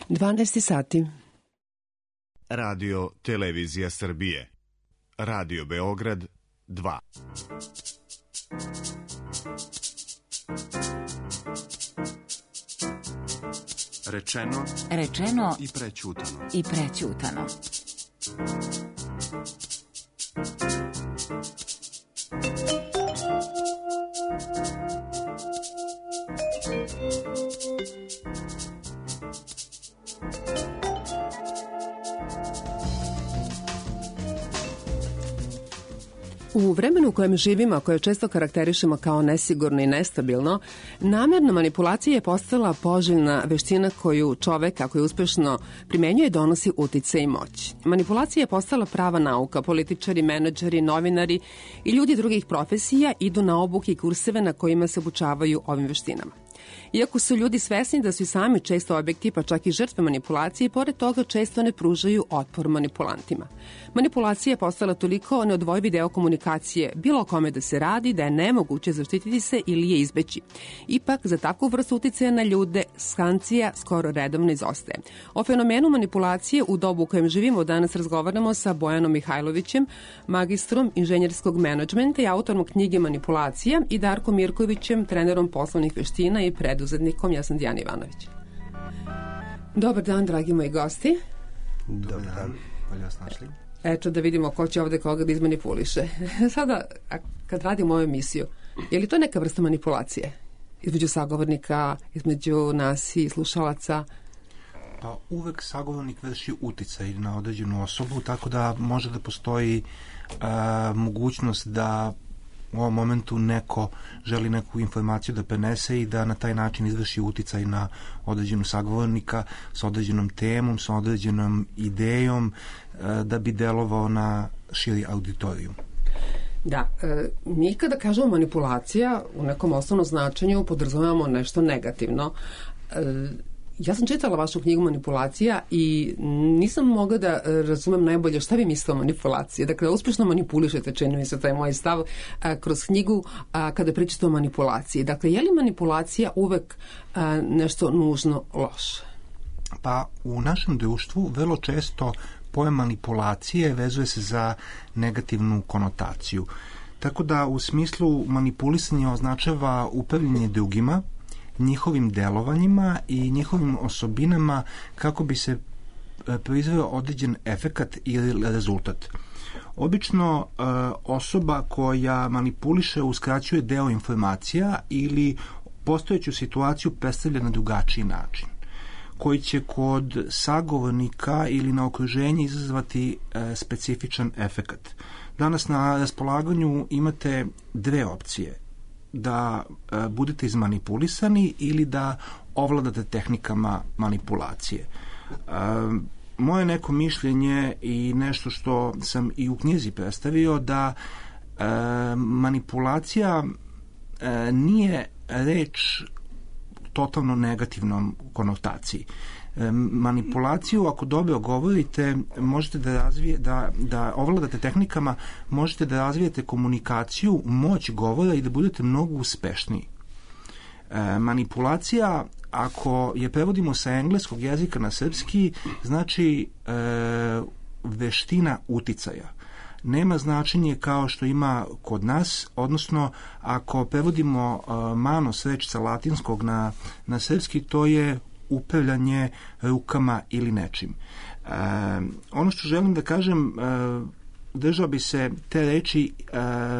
12 sati. Radio Televizija Srbije. Radio Beograd 2. Rečeno i prećutano. U vremenu u kojem živimo, koje često karakterišemo kao nesigurno i nestabilno, namerna manipulacija je postala poželjna veština koju čovek, ako je uspešno primenjuje, donosi uticaj i moć. Manipulacija je postala prava nauka. Političari, menadžeri, novinari i ljudi drugih profesija idu na obuke i kurseve na kojima se obučavaju ovim veštinama. Iako su ljudi svesni da su i sami često objekti, pa čak i žrtve manipulacije, pored toga često ne pružaju otpor manipulantima. Manipulacija je postala toliko neodvojivi deo komunikacije, bilo o kome da se radi, da je nemoguće zaštititi se ili je izbeći. Ipak, za takvu vrstu uticaja na ljude, sankcija skoro redovno izostaje. O fenomenu manipulacije u dobu u kojem živimo danas razgovaramo sa Bojanom Mihajlovićem, magistrom inženjerskog menadžmenta i autorom knjige Manipulacija, i Darkom Mirkovićem, trenerom poslovnih veština i preduzetnikom. Ja sam Dijana Ivanović. Dobar dan, dragi moji gosti. Dobar dan, bolje vas našli. Eto da vidimo ko će ovde koga da izmanipuliše. Sada, kad radimo ovu emisiju, je li to neka vrsta manipulacije? Između sagovornika, između nas i slušalaca? Pa uvek sagovornik vrši uticaj na određenu osobu, tako da može da postoji mogućnost da u ovom momentu neko želi neku informaciju da prenese i da na taj način izvrši uticaj na određenu sagovornika sa određenom temom, sa određenom idejom, da bi delovao na širi auditorijum. Da, mi kada kažemo manipulacija u nekom osnovnom značenju podrazumevamo nešto negativno. Ja sam čitala vašu knjigu Manipulacija i nisam mogla da razumem najbolje šta vi mislite o manipulaciji. Dakle, uspešno manipulišete, čini mi se, to je moj stav, kroz knjigu kada pričate o manipulaciji. Dakle, je li manipulacija uvek nešto nužno loše? Pa u našem društvu vrlo često pojam manipulacije vezuje se za negativnu konotaciju. Tako da u smislu manipulisanje označava upravljanje drugima, njihovim delovanjima i njihovim osobinama kako bi se proizveo određen efekat ili rezultat. Obično osoba koja manipuliše uskraćuje deo informacija ili postojeću situaciju predstavlja na drugačiji način, koji će kod sagovornika ili na okruženje izazvati specifičan efekat. Danas na raspolaganju imate dve opcije: da budete izmanipulisani ili da ovladate tehnikama manipulacije. Moje neko mišljenje i nešto što sam i u knjizi predstavio, da manipulacija nije reč totalno negativnom konotaciji. Manipulaciju, ako dobro govorite, možete da razvijete, da ovladate tehnikama, možete da razvijete komunikaciju, moć govora i da budete mnogo uspešniji. Manipulacija, ako je prevodimo sa engleskog jezika na srpski, znači veština uticaja. Nema značenje kao što ima kod nas, odnosno ako prevodimo manos, reč sa latinskog na srpski, to je upravljanje rukama ili nečim. Ono što želim da kažem, držao bi se te reči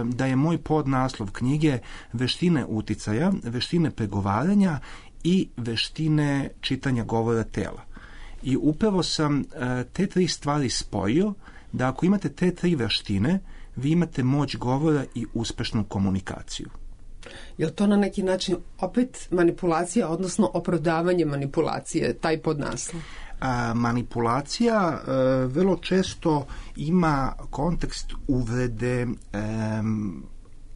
da je moj podnaslov knjige veštine uticaja, veštine pregovaranja i veštine čitanja govora tela. I upravo sam te tri stvari spojio, da ako imate te tri veštine, vi imate moć govora i uspešnu komunikaciju. Je li to na neki način opet manipulacija, odnosno opravdavanje manipulacije, taj podnaslov? Manipulacija vrlo često ima kontekst uvrede,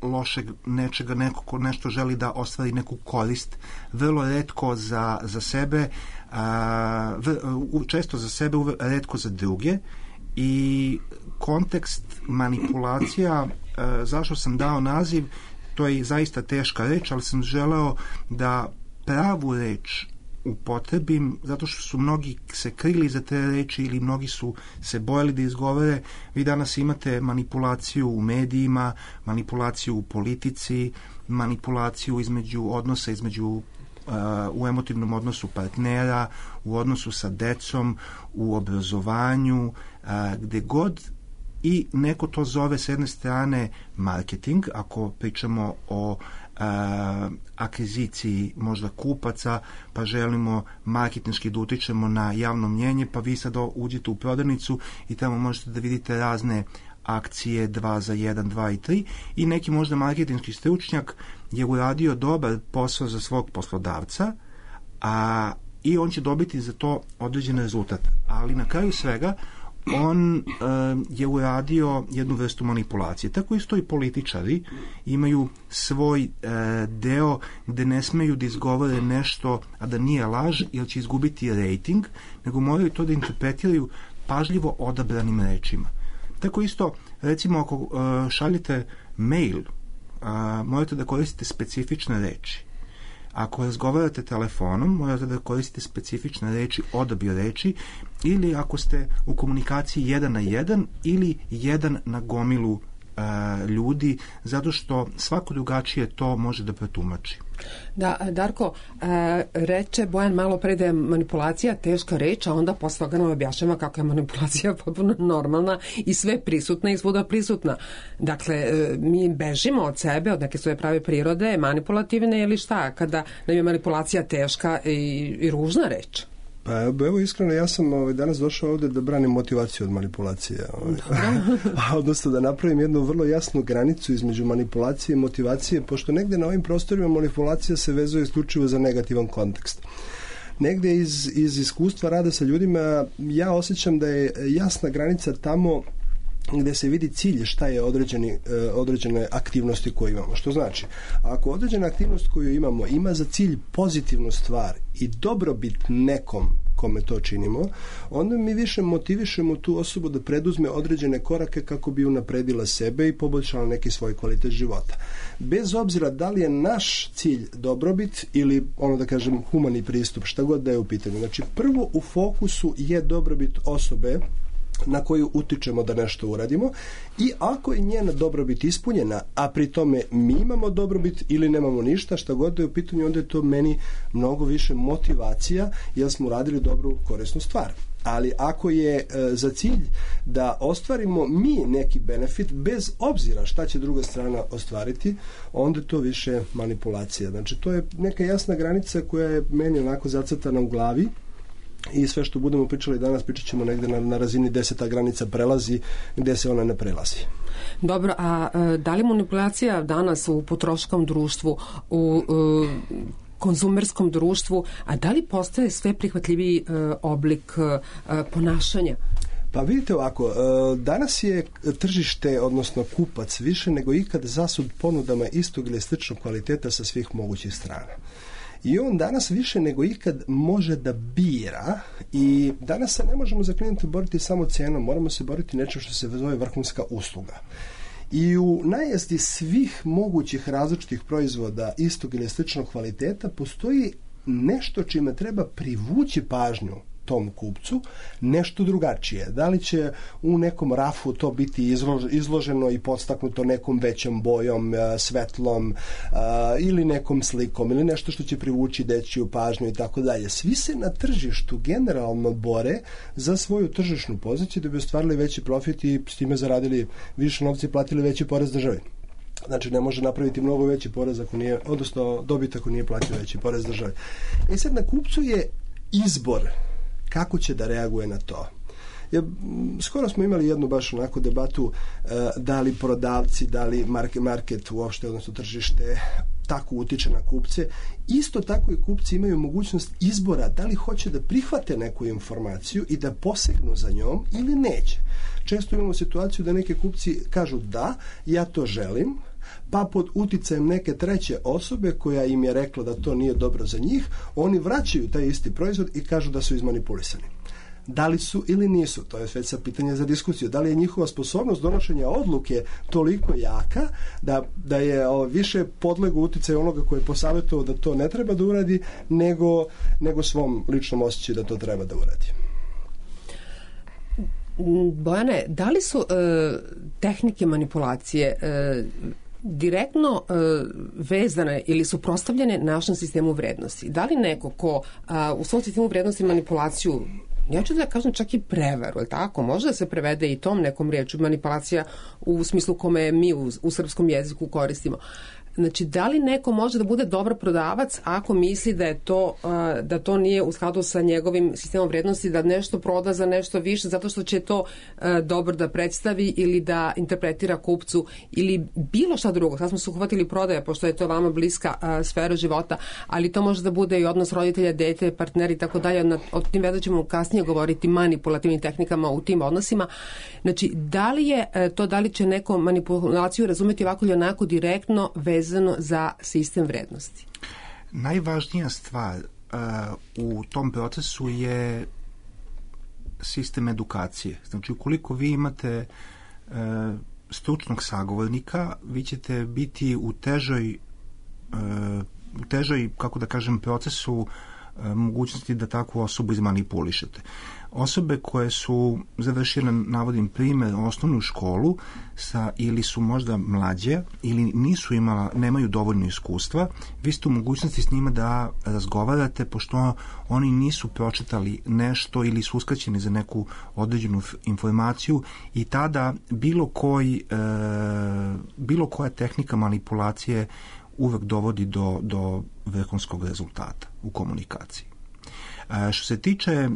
lošeg nečega, neko ko nešto želi da ostvari neku korist, vrlo retko za sebe, često za sebe, retko za druge. I kontekst manipulacija, zašto sam dao naziv, to je zaista teška reč, ali sam želeo da pravu reč upotrebim, zato što su mnogi se krili za te reči ili mnogi su se bojali da izgovore. Vi danas imate manipulaciju u medijima, manipulaciju u politici, manipulaciju u emotivnom odnosu partnera, u odnosu sa decom, u obrazovanju, gde god, i neko to zove s jedne strane marketing, ako pričamo o akviziciji možda kupaca, pa želimo marketinški da utičemo na javno mnjenje, pa vi sad uđete u prodavnicu i tamo možete da vidite razne akcije 2 za 1, 2 i 3, i neki možda marketinški stručnjak je uradio dobar posao za svog poslodavca, i on će dobiti za to određen rezultat. Ali na kraju svega on je uradio jednu vrstu manipulacije. Tako isto i političari imaju svoj deo gde ne smeju da izgovore nešto, a da nije laž, jer će izgubiti rejting, nego moraju to da interpretiraju pažljivo odabranim rečima. Tako isto, recimo, ako šaljete mail, morate da koristite specifične reči. Ako razgovarate telefonom, morate da koristite specifične reči, odabir reči, ili ako ste u komunikaciji 1 na 1 ili 1 na gomilu ljudi, zato što svako drugačije to može da pretumači. Da, Darko, reče Bojan malo pre da je manipulacija teška reč, a onda posle toga nam objašnjava kako je manipulacija potpuno normalna i sve prisutna i svuda prisutna. Dakle, mi bežimo od sebe, od neke svoje prave prirode, manipulativne ili šta, kada nam je manipulacija teška i ružna reč. Pa evo, iskreno, ja sam danas došao ovde da branim motivaciju od manipulacije. Odnosno da napravim jednu vrlo jasnu granicu između manipulacije i motivacije, pošto negde na ovim prostorima manipulacija se vezuje isključivo za negativan kontekst. Negde iz iskustva rada sa ljudima ja osjećam da je jasna granica tamo gde se vidi cilj šta je određene aktivnosti koje imamo. Što znači, ako određena aktivnost koju imamo ima za cilj pozitivnu stvar i dobrobit nekom kome to činimo, onda mi više motivišemo tu osobu da preduzme određene korake kako bi unapredila sebe i poboljšala neki svoj kvalitet života. Bez obzira da li je naš cilj dobrobit ili, da kažem, humani pristup, šta god da je u pitanju. Znači, prvo u fokusu je dobrobit osobe na koju utičemo da nešto uradimo, i ako je njena dobrobit ispunjena, a pri tome mi imamo dobrobit ili nemamo ništa, šta god da je u pitanju, onda je to meni mnogo više motivacija, jer smo uradili dobru, korisnu stvar. Ali ako je za cilj da ostvarimo mi neki benefit, bez obzira šta će druga strana ostvariti, onda je to više manipulacija. Znači, to je neka jasna granica koja je meni onako zacrtana u glavi, i sve što budemo pričali danas, pričat ćemo negde na razini 10. granica prelazi, gde se ona ne prelazi. Dobro, a da li manipulacija danas u potrošačkom društvu, u konzumerskom društvu, a da li postaje sve prihvatljiviji oblik ponašanja? Pa vidite ovako, danas je tržište, odnosno kupac, više nego ikad zasud ponudama istog ili sličnog kvaliteta sa svih mogućih strana. I on danas više nego ikad može da bira, i danas se ne možemo za klijente boriti samo cenom, moramo se boriti nečem što se zove vrhunska usluga. I u najezdi svih mogućih različitih proizvoda istog ili sličnog kvaliteta postoji nešto čime treba privući pažnju tom kupcu, nešto drugačije. Da li će u nekom rafu to biti izloženo i podstaknuto nekom većom bojom, svetlom, ili nekom slikom, ili nešto što će privući dečiju pažnju i tako dalje. Svi se na tržištu generalno bore za svoju tržišnu poziciju da bi ostvarili veći profit i s time zaradili više novca i platili veći porez državi. Znači, ne može napraviti mnogo veći porez ako nije, odnosno dobit ako nije platio veći porez državi. I sad na kupcu je izbor kako će da reaguje na to. Skoro smo imali jednu baš onako debatu da li prodavci, da li market uopšte, odnosno tržište, tako utiče na kupce. Isto tako i kupci imaju mogućnost izbora da li hoće da prihvate neku informaciju i da posegnu za njom ili neće. Često imamo situaciju da neki kupci kažu da, ja to želim, pa pod uticajem neke treće osobe koja im je rekla da to nije dobro za njih, oni vraćaju taj isti proizvod i kažu da su izmanipulisani. Da li su ili nisu? To je već sad pitanje za diskusiju. Da li je njihova sposobnost donošenja odluke toliko jaka da je više podlego uticaju onoga koji je posavjetovao da to ne treba da uradi nego svom ličnom osjećaju da to treba da uradi. Bojane, da li su tehnike manipulacije direktno vezane ili su prostavljene našem sistemu vrednosti? Da li neko ko u svom sistemu vrednosti manipulaciju, ja ću da kažem čak i prevaru, je tako? Može da se prevede i tom nekom riječu manipulacija u smislu kome mi u srpskom jeziku koristimo. Znači, da li neko može da bude dobar prodavac ako misli da to nije u skladu sa njegovim sistemom vrednosti, da nešto proda za nešto više zato što će to dobro da predstavi ili da interpretira kupcu ili bilo šta drugo. Sad smo se uhvatili prodaje, pošto je to vama bliska sfera života, ali to može da bude i odnos roditelja, dete, partneri i tako dalje. O tim veda ćemo kasnije govoriti manipulativnim tehnikama u tim odnosima. Znači, da li će neko manipulaciju razumeti ovako ili onako direktno vezano za sistem vrednosti? Najvažnija stvar u tom procesu je sistem edukacije. Znači, ukoliko vi imate stručnog sagovornika, vi ćete biti u težoj, kako da kažem, procesu mogućnosti da takvu osobu izmanipulišete. Osobe koje su završile, navodim primjer, osnovnu školu ili su možda mlađe ili nemaju dovoljno iskustva, vi ste u mogućnosti s njima da razgovarate, pošto oni nisu pročitali nešto ili su uskraćeni za neku određenu informaciju, i tada bilo koja tehnika manipulacije uvek dovodi do vrhunskog rezultata u komunikaciji. Što se tiče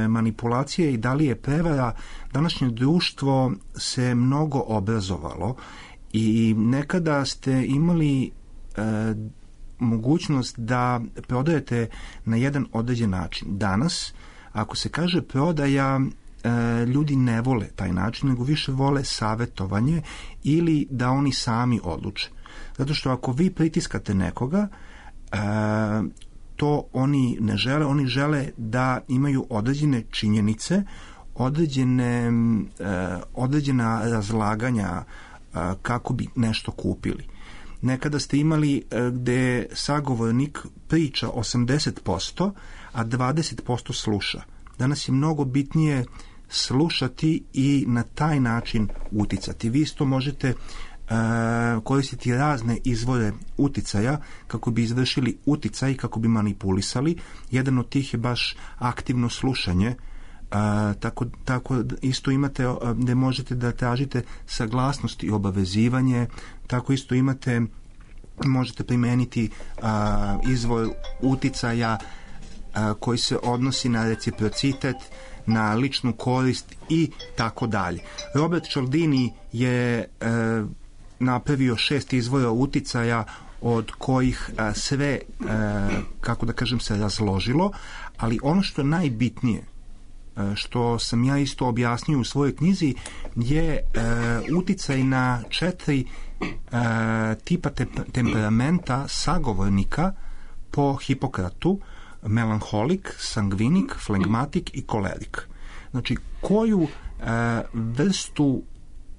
manipulacije i da li je prevara, današnje društvo se mnogo obrazovalo i nekada ste imali mogućnost da prodajete na jedan određen način. Danas, ako se kaže prodaja, ljudi ne vole taj način, nego više vole savjetovanje ili da oni sami odluče. Zato što ako vi pritiskate nekoga, to oni ne žele, oni žele da imaju određene činjenice, određena razlaganja kako bi nešto kupili. Nekada ste imali gde sagovornik priča 80%, a 20% sluša. Danas je mnogo bitnije slušati i na taj način uticati. Vi isto možete koristiti razne izvore uticaja kako bi izvršili uticaj, kako bi manipulisali. Jedan od tih je baš aktivno slušanje. Tako isto imate gde možete da tražite saglasnost i obavezivanje. Tako isto možete primeniti izvor uticaja koji se odnosi na reciprocitet, na ličnu korist i tako dalje. Robert Cialdini je napravio 6 izvora uticaja od kojih sve, kako da kažem, se razložilo, ali ono što je najbitnije, što sam ja isto objasnio u svojoj knjizi, je uticaj na 4 tipa temperamenta sagovornika po Hipokratu: melanholik, sangvinik, flegmatik i kolerik. Znači, koju vrstu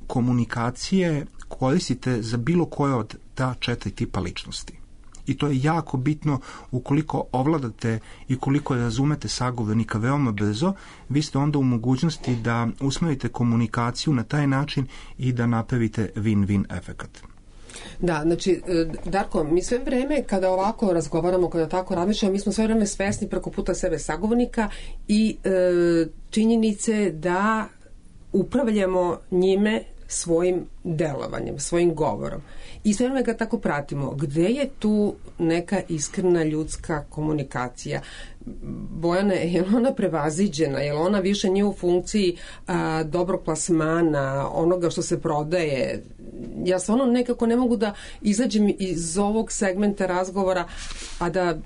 komunikacije koristite za bilo koje od ta 4 tipa ličnosti. I to je jako bitno. Ukoliko ovladate i koliko razumete sagovornika veoma brzo, vi ste onda u mogućnosti da usmerite komunikaciju na taj način i da napravite win-win efekat. Da, znači, Darko, mi sve vreme kada ovako razgovaramo, kada tako razmišljamo, mi smo sve vreme svesni preko puta sebe sagovornika i činjenice da upravljamo njime svojim delovanjem, svojim govorom. I sve vreme ga tako pratimo. Gde je tu neka iskrena ljudska komunikacija? Bojane, je li ona prevaziđena? Je li ona više nije u funkciji dobrog plasmana, onoga što se prodaje? Ja stvarno nekako ne mogu da izađem iz ovog segmenta razgovora, a da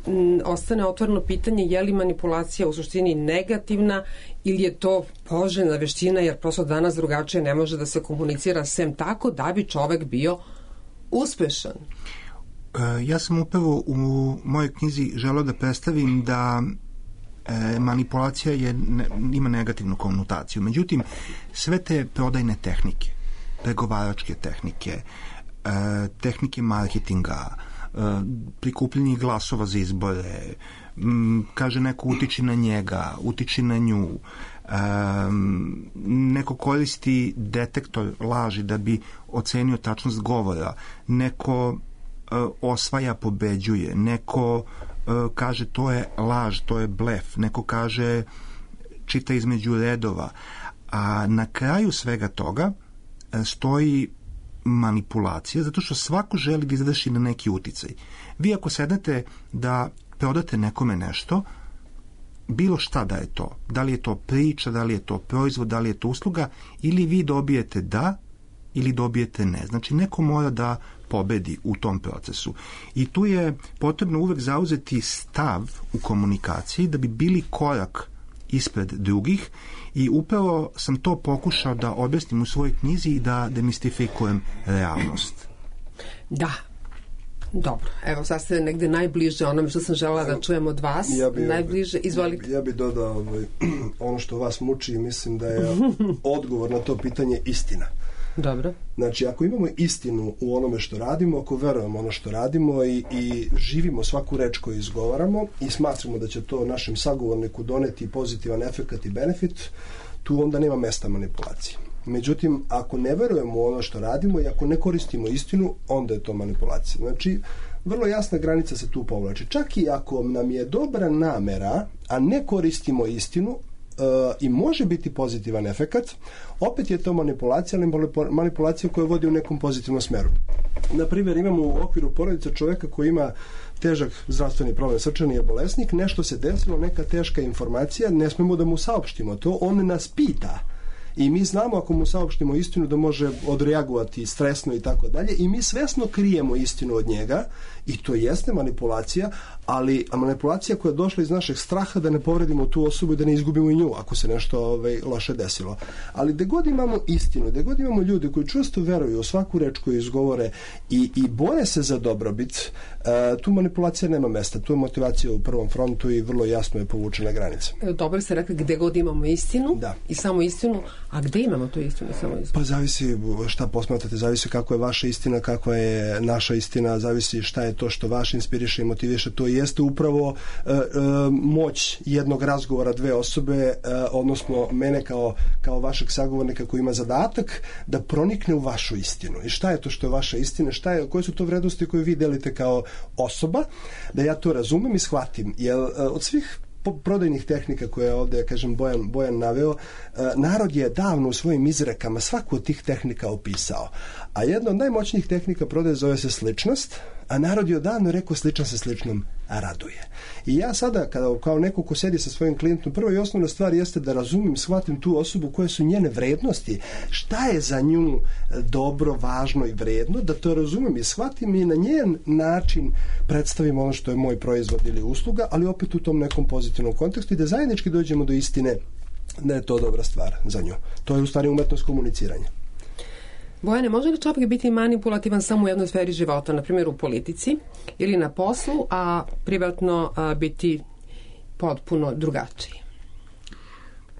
ostane otvoreno pitanje je li manipulacija u suštini negativna ili je to poželjna veština, jer prosto danas drugačije ne može da se komunicira sem tako da bi čovek bio uspešan. Ja sam upravo u mojoj knjizi želeo da predstavim da manipulacija ima negativnu konotaciju. Međutim, sve te prodajne tehnike, pregovaračke tehnike, tehnike marketinga, prikupljanje glasova za izbore, kaže neko utiči na njega, utiči na nju, neko koristi detektor laži da bi ocenio tačnost govora, neko osvaja, pobeđuje, neko kaže to je laž, to je blef, neko kaže čita između redova, a na kraju svega toga stoji manipulacija, zato što svako želi da izvrši na neki uticaj. Vi ako sednete da prodate nekome nešto, bilo šta da je to, da li je to priča, da li je to proizvod, da li je to usluga, ili vi dobijete da ili dobijete ne. Znači neko mora da pobedi u tom procesu. I tu je potrebno uvek zauzeti stav u komunikaciji da bi bili korak ispred drugih i upravo sam to pokušao da objasnim u svojoj knjizi i da demistifikujem realnost. Da. Dobro, evo sad ste negde najbliže onome što sam želela da čujem od vas. Najbliže, izvolite. Ja bih dodao ono što vas muči i mislim da je odgovor na to pitanje istina. Dobro. Znači, ako imamo istinu u onome što radimo, ako verujemo ono što radimo i živimo svaku reč koju izgovaramo i smatramo da će to našem sagovorniku doneti pozitivan efekat i benefit, tu onda nema mesta manipulacije. Međutim, ako ne verujemo u ono što radimo i ako ne koristimo istinu, onda je to manipulacija. Znači, vrlo jasna granica se tu povlači. Čak i ako nam je dobra namera, a ne koristimo istinu, i može biti pozitivan efekat, opet je to manipulacija, ali manipulacija koja vodi u nekom pozitivnom smeru. Na primjer, imamo u okviru porodice čoveka koji ima težak zdravstveni problem, srčani je bolesnik, nešto se desilo, neka teška informacija, ne smemo da mu saopštimo to, on nas pita. I mi znamo ako mu saopštimo istinu da može odreagovati stresno i tako dalje i mi svesno krijemo istinu od njega i to jeste manipulacija, ali manipulacija koja je došla iz našeg straha da ne povredimo tu osobu i da ne izgubimo i nju ako se nešto loše desilo. Ali gde god imamo istinu, gde god imamo ljude koji čvrsto veruju u svaku reč koju izgovore i bore se za dobrobit, tu manipulacija nema mesta. Tu je motivacija u prvom frontu i vrlo jasno je povučena granica. Dobro ste rekli gde god imamo istinu i samo istinu, a gde imamo tu istinu i samo istinu? Pa zavisi šta posmatrate, zavisi kako je vaša istina, kakva je naša istina, zavisi šta je to što vaš inspiriše i motiviše. To jeste upravo moć jednog razgovora dve osobe, odnosno mene kao vašeg sagovornika koji ima zadatak da pronikne u vašu istinu. I šta je to što je vaša istina, koje su to vrednosti koje vi delite kao osoba, da ja to razumem i shvatim. Jer od svih prodajnih tehnika koje je ovdje, kažem, Bojan naveo, narod je davno u svojim izrekama svaku od tih tehnika opisao. A jedna od najmoćnijih tehnika prodaje zove se sličnost, a narod je odavno rekao sličan se sličnom raduje. I ja sada, kao neko ko sedi sa svojim klijentom, prva i osnovna stvar jeste da razumim, shvatim tu osobu koje su njene vrednosti, šta je za nju dobro, važno i vredno, da to razumem i shvatim i na njen način predstavim ono što je moj proizvod ili usluga, ali opet u tom nekom pozitivnom kontekstu i da zajednički dođemo do istine da je to dobra stvar za nju. To je u stvari umetnost komuniciranja. Bojane, može li čovjek biti manipulativan samo u jednoj sferi života, na primjer u politici ili na poslu, a privatno biti potpuno drugačiji?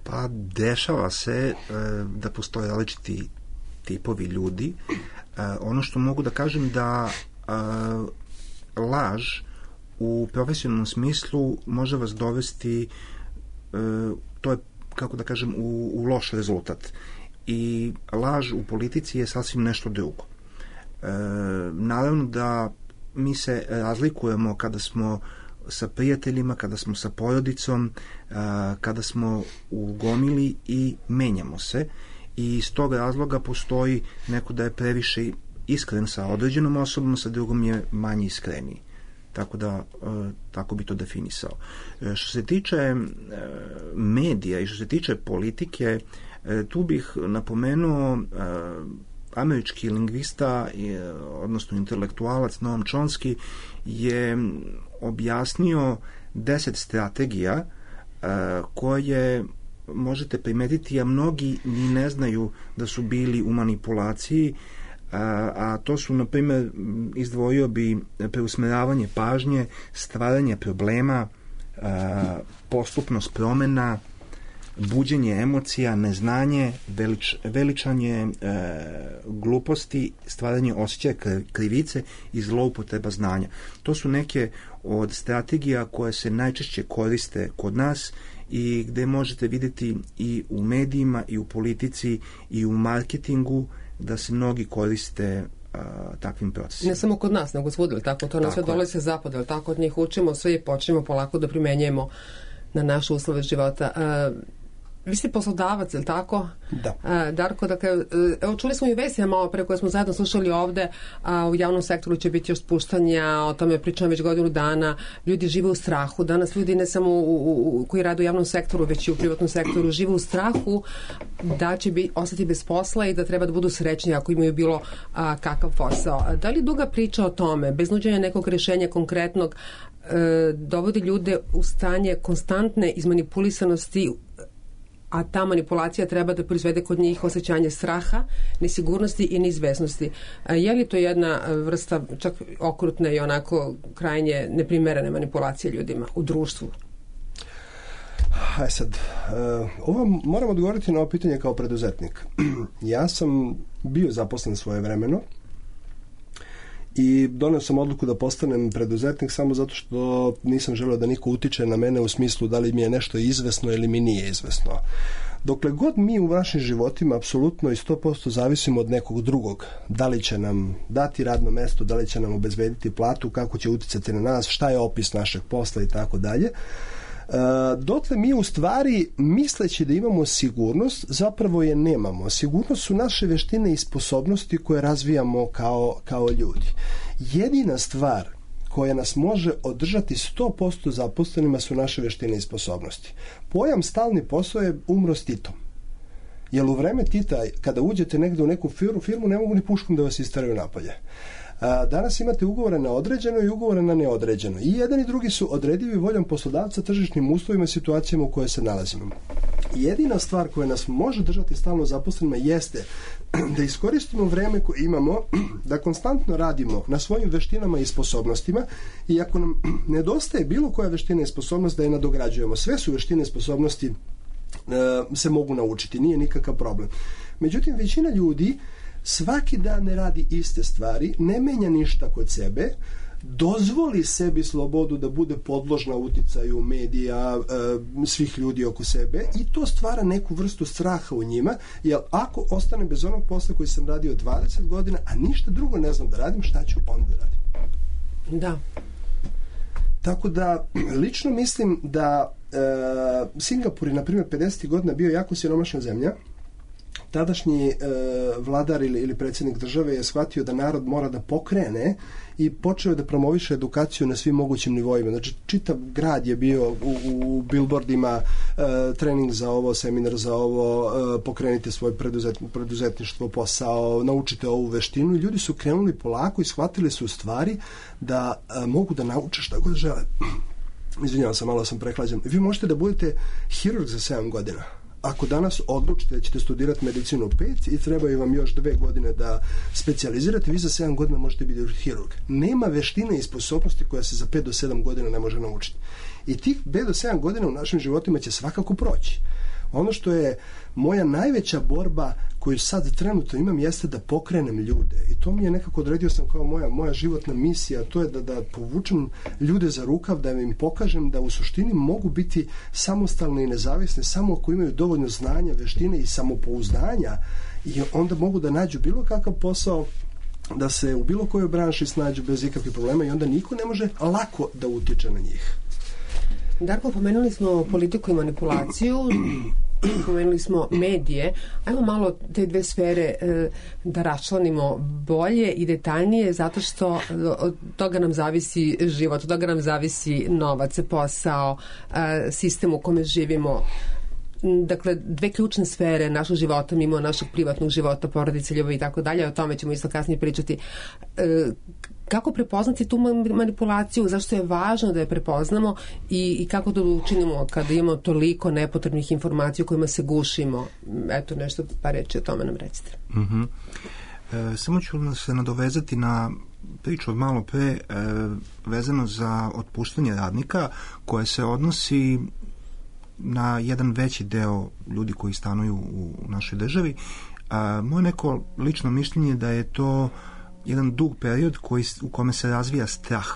Pa dešava se da postoje različiti tipovi ljudi. Ono što mogu da kažem da laž u profesionalnom smislu može vas dovesti, to je, kako da kažem, u loš rezultat. I laž u politici je sasvim nešto drugo. Naravno da mi se razlikujemo kada smo sa prijateljima, kada smo sa porodicom, kada smo u gomili i menjamo se i iz tog razloga postoji neko da je previše iskren sa određenom osobom, sa drugom je manje iskreniji. Tako da, tako bi to definisao. Što se tiče medija i što se tiče politike, tu bih napomenuo američki lingvista, odnosno intelektualac Noam Chomsky je objasnio 10 strategija koje možete primetiti, a mnogi ni ne znaju da su bili u manipulaciji, a to su, na primjer, izdvojio bi preusmeravanje pažnje, stvaranje problema, postupnost promena, buđenje emocija, neznanje, veličanje gluposti, stvaranje osjećaja krivice i zloupotreba znanja. To su neke od strategija koje se najčešće koriste kod nas i gde možete vidjeti i u medijima, i u politici, i u marketingu da se mnogi koriste takvim procesima. Ne samo kod nas, nego svudili, tako? To nas sve dolazi sa zapada, ali tako od njih učimo sve i počnemo polako da primenjujemo na naše uslove života. Vi ste poslodavac, je li tako? Da. Darko, dakle, evo čuli smo i vesti malo pre koje smo zajedno slušali ovde, a u javnom sektoru će biti još spuštanja, o tome pričam već godinu dana, ljudi žive u strahu, danas ljudi ne samo koji rade u javnom sektoru, već i u privatnom sektoru, žive u strahu da će ostati bez posla i da treba da budu srećni ako imaju bilo kakav posao. Da li duga priča o tome, bez nuđenja nekog rešenja konkretnog, dovodi ljude u stanje konstantne izmanipulisanosti, a ta manipulacija treba da proizvede kod njih osjećanje straha, nesigurnosti i neizvesnosti. Je li to jedna vrsta čak okrutne i onako krajnje neprimerene manipulacije ljudima u društvu? Ovo moram odgovoriti na ovo pitanje kao preduzetnik. Ja sam bio zaposlen svojevremeno i doneo sam odluku da postanem preduzetnik samo zato što nisam želeo da niko utiče na mene u smislu da li mi je nešto izvesno ili mi nije izvesno. Dokle god mi u našim životima apsolutno i 100% zavisimo od nekog drugog, da li će nam dati radno mesto, da li će nam obezbediti platu, kako će uticati na nas, šta je opis našeg posla i tako dalje, dotle mi u stvari, misleći da imamo sigurnost, zapravo je nemamo. Sigurnost su naše veštine i sposobnosti koje razvijamo kao ljudi. Jedina stvar koja nas može održati 100% zaposlenima su naše veštine i sposobnosti. Pojam stalni posao je umro s Titom. Jer u vreme Tita, kada uđete negde u neku firmu, ne mogu ni puškom da vas isteraju napolje. Danas imate ugovore na određeno i ugovore na neodređeno. I jedan i drugi su odredivi voljom poslodavca, tržišnim uslovima i situacijama u koje se nalazimo. Jedina stvar koja nas može držati stalno zaposlenima jeste da iskoristimo vreme koje imamo, da konstantno radimo na svojim veštinama i sposobnostima i ako nam nedostaje bilo koja veština i sposobnost da je nadograđujemo. Sve su veštine i sposobnosti se mogu naučiti, nije nikakav problem. Međutim, većina ljudi svaki dan ne radi iste stvari, ne menja ništa kod sebe, dozvoli sebi slobodu da bude podložna uticaju medija, svih ljudi oko sebe i to stvara neku vrstu straha u njima, jer ako ostane bez onog posla koji sam radio 20 godina, a ništa drugo ne znam da radim, šta ću onda radim? Da. Tako da, lično mislim da Singapur je, na primjer, 50. godina bio jako siromašna zemlja. Tadašnji vladar ili predsjednik države je shvatio da narod mora da pokrene i počeo da promoviše edukaciju na svim mogućim nivoima. Znači, čitav grad je bio u billboardima, trening za ovo, seminar za ovo, pokrenite svoje preduzetništvo, posao, naučite ovu veštinu i ljudi su krenuli polako i shvatili su u stvari da mogu da nauče šta god žele. Izvinjavam se, malo sam prehlađen. Vi možete da budete hirurg za 7 godina. Ako danas odlučite da ćete studirati medicinu 5 i trebaju vam još 2 godine da specijalizirate, vi za 7 godina možete biti hirurg. Nema veštine i sposobnosti koja se za 5 do 7 godina ne može naučiti. I tih 5 do 7 godina u našim životima će svakako proći. Ono što je moja najveća borba koju sad trenutno imam jeste da pokrenem ljude. I to mi je nekako odredio sam kao moja životna misija, to je da povučem ljude za rukav, da im pokažem da u suštini mogu biti samostalni i nezavisni samo ako imaju dovoljno znanja, veštine i samopouzdanja i onda mogu da nađu bilo kakav posao, da se u bilo kojoj branši snađu bez ikakvih problema i onda niko ne može lako da utiče na njih. Darko, pomenuli smo politiku i manipulaciju, pomenuli smo medije. Ajmo malo te dve sfere da raščlanimo bolje i detaljnije, zato što od toga nam zavisi život, od toga nam zavisi novac, posao, sistem u kome živimo. Dakle, dve ključne sfere našeg života, mimo našeg privatnog života, porodice, ljubavi i tako dalje, o tome ćemo isto kasnije pričati. Kako prepoznati tu manipulaciju, zašto je važno da je prepoznamo i kako to učinimo kada imamo toliko nepotrebnih informacija u kojima se gušimo? Eto, nešto pa reći o tome nam recite. Samo ću se nadovezati na priču od malo pre vezano za otpuštanje radnika koje se odnosi na jedan veći deo ljudi koji stanuju u našoj državi. Moje neko lično mišljenje je da je to jedan dug period u kome se razvija strah.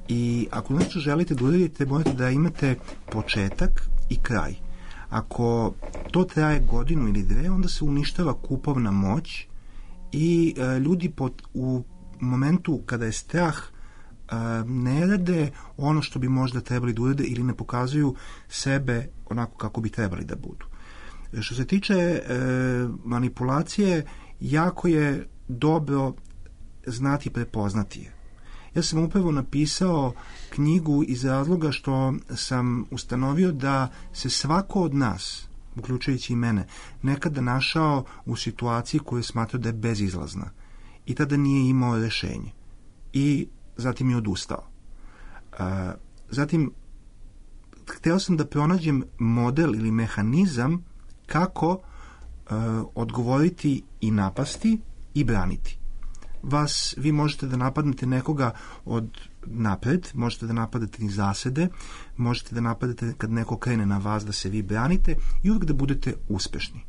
I ako nešto želite da uradite, morate da imate početak i kraj. Ako to traje godinu ili dve, onda se uništava kupovna moć i ljudi u momentu kada je strah ne rade ono što bi možda trebali da urade ili ne pokazuju sebe onako kako bi trebali da budu. Što se tiče manipulacije, jako je dobro znati i prepoznati je. Ja sam upravo napisao knjigu iz razloga što sam ustanovio da se svako od nas, uključujući i mene, nekada našao u situaciji koju je smatrao da je bezizlazna i tada nije imao rešenje. I zatim je odustao. Zatim, hteo sam da pronađem model ili mehanizam kako odgovoriti i napasti i braniti. Vi možete da napadnete nekoga od napred, možete da napadate iz zasede, možete da napadate kad neko krene na vas da se vi branite i uvijek da budete uspešni.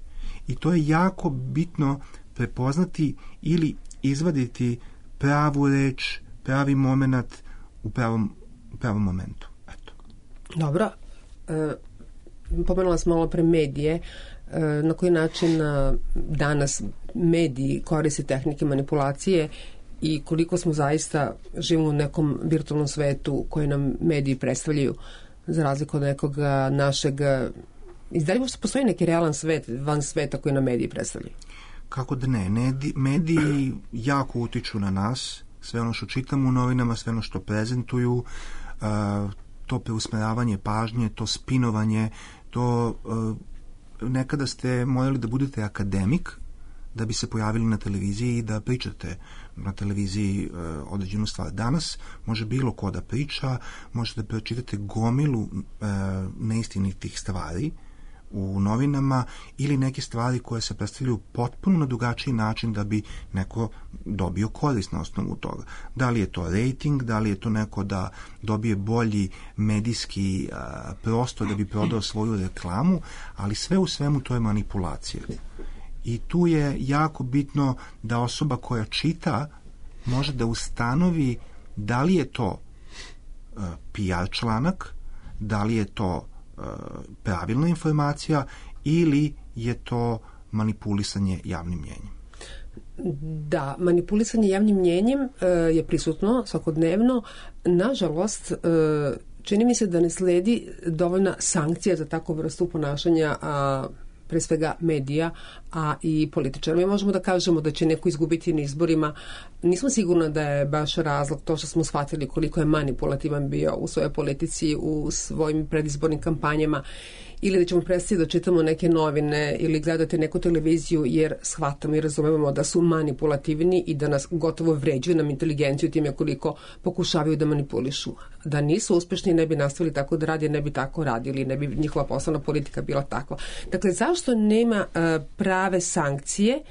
I to je jako bitno prepoznati ili izvaditi pravu reč, pravi moment u pravom momentu. Eto. Dobro. Pomenula sam malo pre medije. Na koji način danas mediji koriste tehnike manipulacije i koliko smo zaista živimo u nekom virtualnom svetu koji nam mediji predstavljaju za razliku od nekog našeg... Izdalje možda postoji neki realan svet van sveta koji nam mediji predstavljaju? Kako da ne? Mediji jako utiču na nas, sve ono što čitamo u novinama, sve ono što prezentuju, to preusmeravanje pažnje, to spinovanje, to... Nekada ste morali da budete akademik da bi se pojavili na televiziji i da pričate na televiziji određenu stvar. Danas može bilo ko da priča, možete da pročitate gomilu neistinitih stvari u novinama ili neke stvari koje se predstavljaju potpuno na drugačiji način da bi neko dobio korist na osnovu toga. Da li je to rating, da li je to neko da dobije bolji medijski prostor da bi prodao svoju reklamu, ali sve u svemu to je manipulacija. I tu je jako bitno da osoba koja čita može da ustanovi da li je to PR članak, da li je to pravilna informacija ili je to manipulisanje javnim mnjenjem. Da, manipulisanje javnim mnjenjem je prisutno svakodnevno. Nažalost, čini mi se da ne sledi dovoljna sankcija za takvu vrstu ponašanja, pre svega medija, a i političara. Mi možemo da kažemo da će neko izgubiti na izborima. Nismo sigurno da je baš razlog to što smo shvatili koliko je manipulativan bio u svojoj politici, u svojim predizbornim kampanjama, ili da ćemo prestati da čitamo neke novine ili gledati neku televiziju jer shvatamo i razumemo da su manipulativni i da nas gotovo vređuju nam inteligenciju time koliko pokušavaju da manipulišu. Da nisu uspešni ne bi nastavili tako da radi, ne bi tako radili, ne bi njihova poslovna politika bila takva. Dakle, zašto nema prave sankcije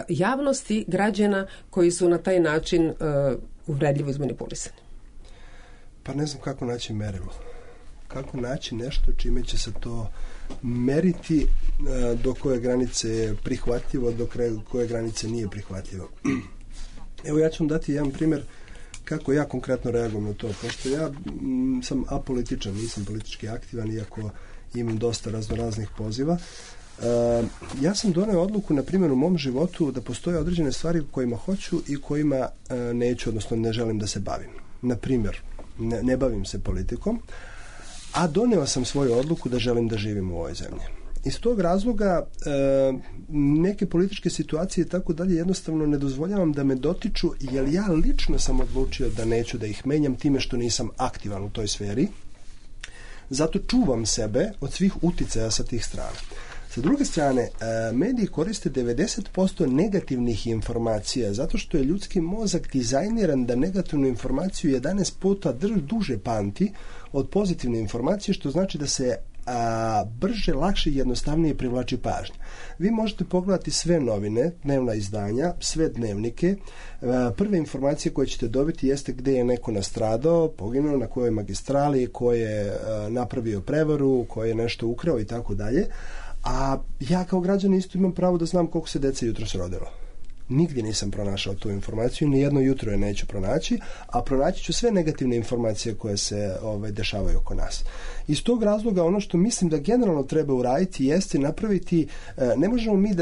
javnosti, građana koji su na taj način uvredljivo izmanipulisani? Pa ne znam kako naći merilo. Kako naći nešto čime će se to meriti, do koje granice je prihvatljivo, do koje granice nije prihvatljivo. Evo ja ću vam dati jedan primjer kako ja konkretno reagujem na to. Pošto ja sam apolitičan, nisam politički aktivan, iako imam dosta raznoraznih poziva. Ja sam doneo odluku, na primjer, u mom životu da postoje određene stvari kojima hoću i kojima neću, odnosno ne želim da se bavim. Na primjer, ne bavim se politikom, a doneo sam svoju odluku da želim da živim u ovoj zemlji. Iz tog razloga neke političke situacije i tako dalje jednostavno ne dozvoljavam da me dotiču, jer ja lično sam odlučio da neću da ih menjam time što nisam aktivan u toj sferi. Zato čuvam sebe od svih uticaja sa tih strana. Sa druge strane, mediji koriste 90% negativnih informacija zato što je ljudski mozak dizajniran da negativnu informaciju 11 puta duže pamti od pozitivne informacije, što znači da se brže, lakše i jednostavnije privlači pažnju. Vi možete pogledati sve novine, dnevna izdanja, sve dnevnike. Prve informacije koje ćete dobiti jeste gde je neko nastradao, poginuo, na kojoj magistrali, ko je napravio prevaru, ko je nešto ukrao i tako dalje. A ja kao građanin isto imam pravo da znam koliko se dece jutros rodilo. Nigdje nisam pronašao tu informaciju, ni jedno jutro je neću pronaći, a pronaći ću sve negativne informacije koje se dešavaju oko nas. Iz tog razloga ono što mislim da generalno treba uraditi jeste napraviti, ne možemo mi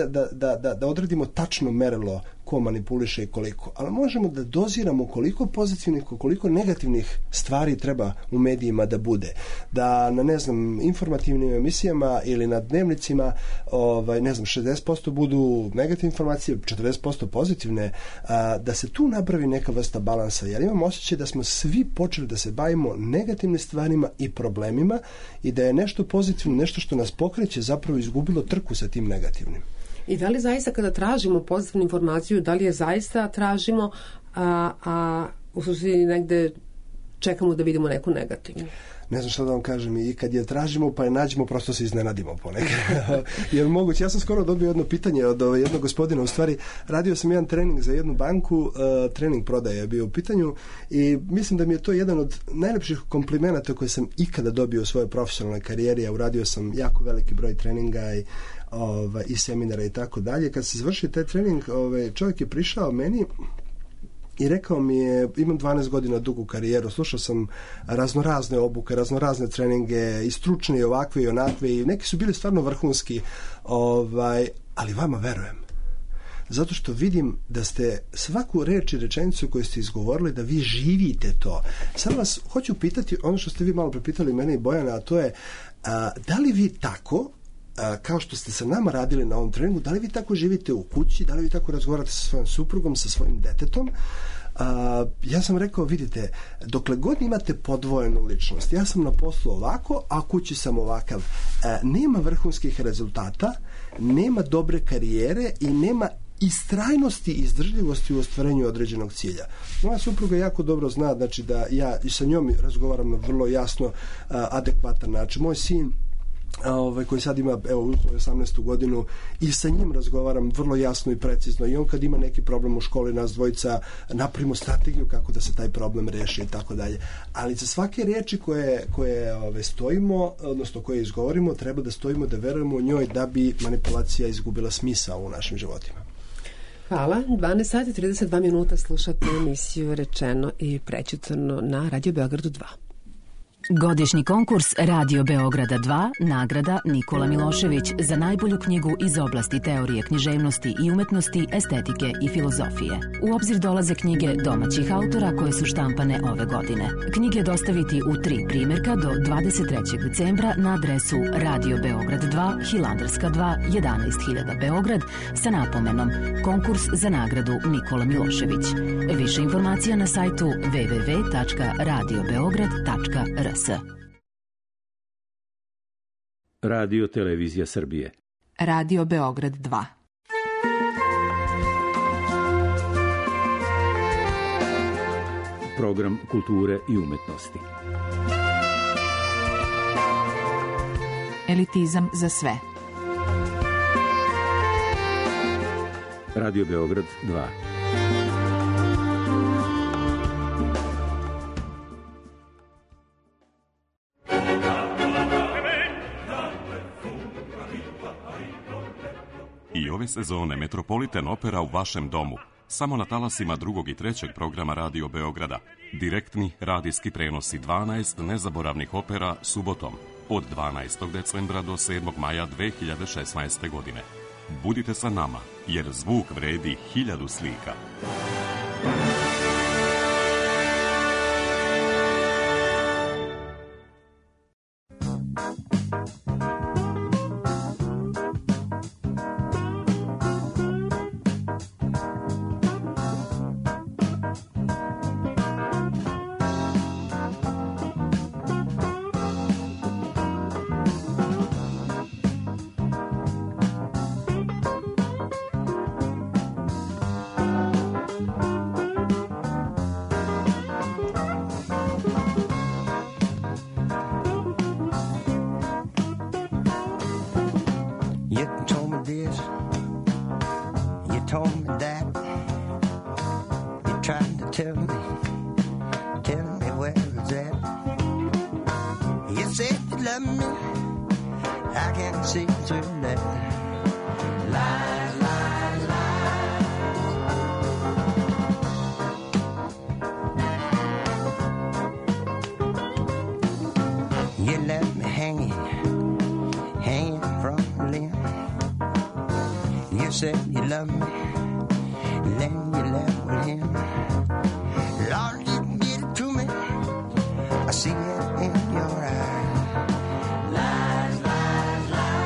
da odredimo tačno merilo ko manipuliše i koliko, ali možemo da doziramo koliko pozitivnih, koliko negativnih stvari treba u medijima da bude. Da na, ne znam, informativnim emisijama ili na dnevnicima 60% budu negativne informacije, 40% pozitivne, da se tu napravi neka vrsta balansa, jer imam osjećaj da smo svi počeli da se bavimo negativnim stvarima i problemima i da je nešto pozitivno, nešto što nas pokreće, zapravo izgubilo trku sa tim negativnim. I da li zaista kada tražimo pozitivnu informaciju, da li je zaista tražimo, a u suštini negde čekamo da vidimo neku negativnu? Ne znam što da vam kažem, i kad je tražimo pa je nađemo, prosto se iznenadimo ponekad. Jer moguće, ja sam skoro dobio jedno pitanje od jednog gospodina, u stvari radio sam jedan trening za jednu banku, trening prodaje je bio u pitanju i mislim da mi je to jedan od najlepših komplimenata koje sam ikada dobio u svojoj profesionalnoj karijeri, a uradio sam jako veliki broj treninga i seminara i tako dalje. Kad se završio taj trening, čovjek je prišao meni i rekao mi je, imam 12 godina dugu karijeru, slušao sam raznorazne obuke, raznorazne treninge, i stručne i ovakve i onakve, i neki su bili stvarno vrhunski, ali vama verujem. Zato što vidim da ste svaku reč i rečenicu koju ste izgovorili, da vi živite to. Sad vas hoću pitati ono što ste vi malo prepitali mene i Bojana, a to je, da li vi tako, kao što ste sa nama radili na ovom treningu, da li vi tako živite u kući, da li vi tako razgovarate sa svojom suprugom, sa svojim detetom? Ja sam rekao, vidite, dokle god imate podvojenu ličnost, ja sam na poslu ovako, a kući sam ovakav, nema vrhunskih rezultata, nema dobre karijere i nema istrajnosti i izdržljivosti u ostvarenju određenog cilja. Moja supruga jako dobro zna, znači da ja i sa njom razgovaram na vrlo jasno, adekvatan način. Moj sin koji sad ima 18. godinu, i sa njim razgovaram vrlo jasno i precizno, i on kad ima neki problem u školi, nas dvojica napravimo strategiju kako da se taj problem reši i tako dalje. Ali za svake riječi koje stojimo, odnosno koje izgovorimo, treba da stojimo, da verujemo u njoj, da bi manipulacija izgubila smisao u našim životima. Hvala. 12 sati 32 minuta slušate emisiju Rečeno i prećutano na Radio Beogradu 2. Godišnji konkurs Radio Beograda 2, nagrada Nikola Milošević za najbolju knjigu iz oblasti teorije književnosti i umetnosti, estetike i filozofije. U obzir dolaze knjige domaćih autora koje su štampane ove godine. Knjige dostaviti u 3 primjerka do 23. decembra na adresu Radio Beograd 2, Hilandarska 2, 11.000 Beograd, sa napomenom Konkurs za nagradu Nikola Milošević. Više informacija na sajtu www.radiobeograd.rs. Radio Televizija Srbije. Radio Beograd 2. Program kulture i umetnosti. Elitizam za sve. Radio Beograd 2. I ove sezone Metropolitan Opera u vašem domu. Samo na talasima 2. i 3. programa Radio Beograda. Direktni radijski prenosi 12 nezaboravnih opera subotom od 12. decembra do 7. maja 2016. godine. Budite sa nama, jer zvuk vredi 1000 slika. Tell me where it's at. You said you love me, I can't see through that. Lies, lies, lies. You left me hanging from the limb. You said you love me, and then you left with him. Lord, you did it to me, I see it in your eyes. Lies, lies, lies.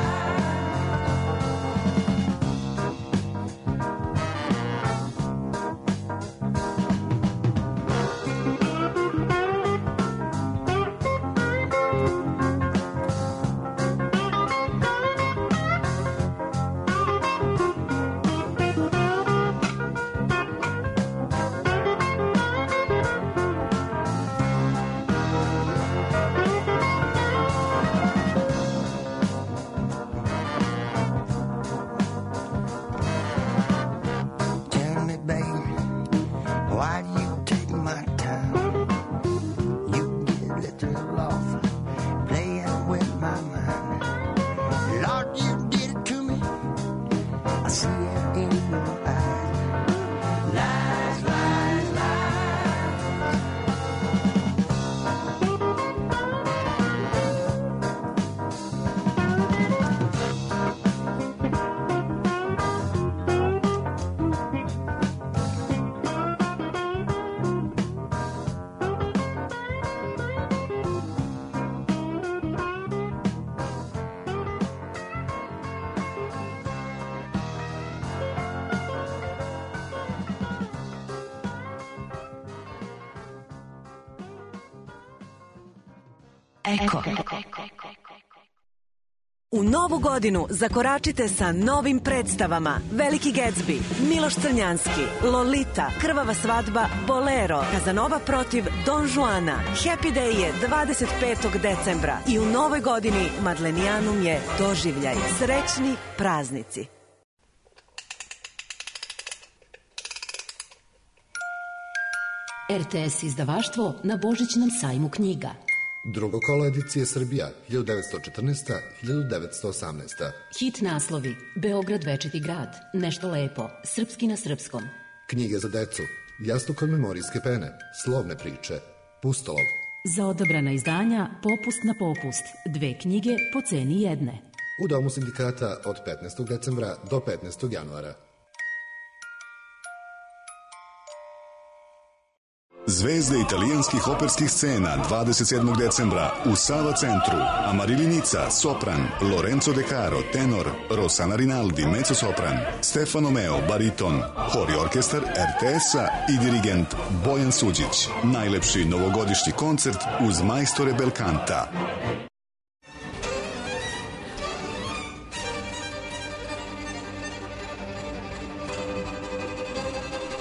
Eko. U novu godinu zakoračite sa novim predstavama Veliki Gatsby, Miloš Crnjanski, Lolita, Krvava svadba, Bolero, Kazanova protiv Don Juana. Happy Day je 25. decembra i u novoj godini Madlenijanum je doživljaj. Srećni praznici. RTS izdavaštvo na Božićnom sajmu knjiga. Drugo kolo edicije Srbija, 1914-1918. Hit naslovi: Beograd večiti grad, Nešto lepo, Srpski na srpskom. Knjige za decu, Jastukov memorijske pene, Slovne priče, Pustolov. Za odabrana izdanja popust na popust, 2 knjige po ceni jedne. U Domu sindikata od 15. decembra do 15. januara. Zvezde italijanskih operskih scena 27. decembra u Sava centru. Amarilli Nica, sopran, Lorenzo De Caro, tenor, Rossana Rinaldi, mezzosopran, Stefano Meo, bariton, hor i orkestar RTS-a i dirigent Bojan Suđić. Najlepši novogodišnji koncert uz majstore Belkanta.